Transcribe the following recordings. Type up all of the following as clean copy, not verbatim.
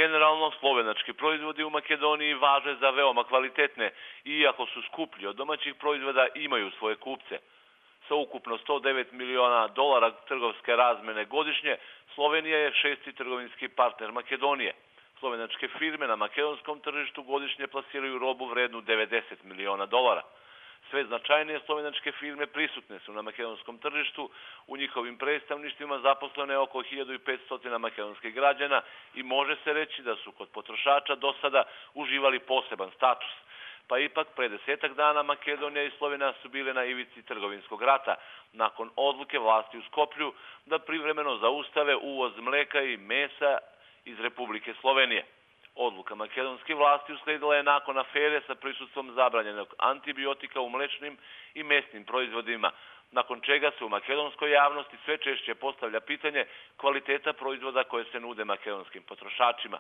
Generalno, slovenački proizvodi u Makedoniji važe za veoma kvalitetne i iako su skuplji od domaćih proizvoda imaju svoje kupce. Sa ukupno $109 miliona trgovske razmene godišnje, Slovenija je 6. trgovinski partner Makedonije. Slovenačke firme na makedonskom tržištu godišnje plasiraju robu vrednu $90 miliona. Sve značajnije slovenačke firme prisutne su na makedonskom tržištu, u njihovim predstavništvima zaposlene je oko 1500 makedonskih građana i može se reći da su kod potrošača do sada uživali poseban status. Pa ipak, pre 10 dana Makedonija i Slovenija su bile na ivici trgovinskog rata, nakon odluke vlasti u Skoplju da privremeno zaustave uvoz mleka i mesa iz Republike Slovenije. Odluka makedonskih vlasti usledila je nakon afere sa prisustvom zabranjenog antibiotika u mlečnim i mesnim proizvodima, nakon čega se u makedonskoj javnosti sve češće postavlja pitanje kvaliteta proizvoda koje se nude makedonskim potrošačima.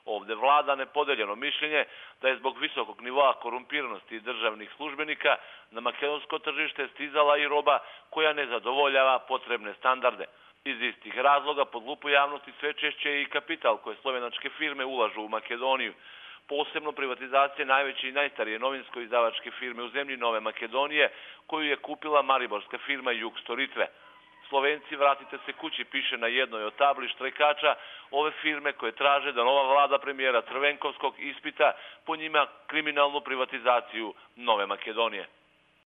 Ovde vlada nepodeljeno mišljenje da je zbog visokog nivoa korumpiranosti državnih službenika na makedonsko tržište stizala i roba koja ne zadovoljava potrebne standarde. Iz istih razloga pod lupu javnosti sve češće je i kapital koje slovenačke firme ulažu u Makedoniju. Posebno privatizacije najveće i najstarije novinsko-izdavačke firme u zemlji Nove Makedonije, koju je kupila mariborska firma Jug Storitve. Slovenci, vratite se kući, piše na jednoj od tabli štrajkača ove firme koje traže da nova vlada premijera Crvenkovskog ispita po njima kriminalnu privatizaciju Nove Makedonije.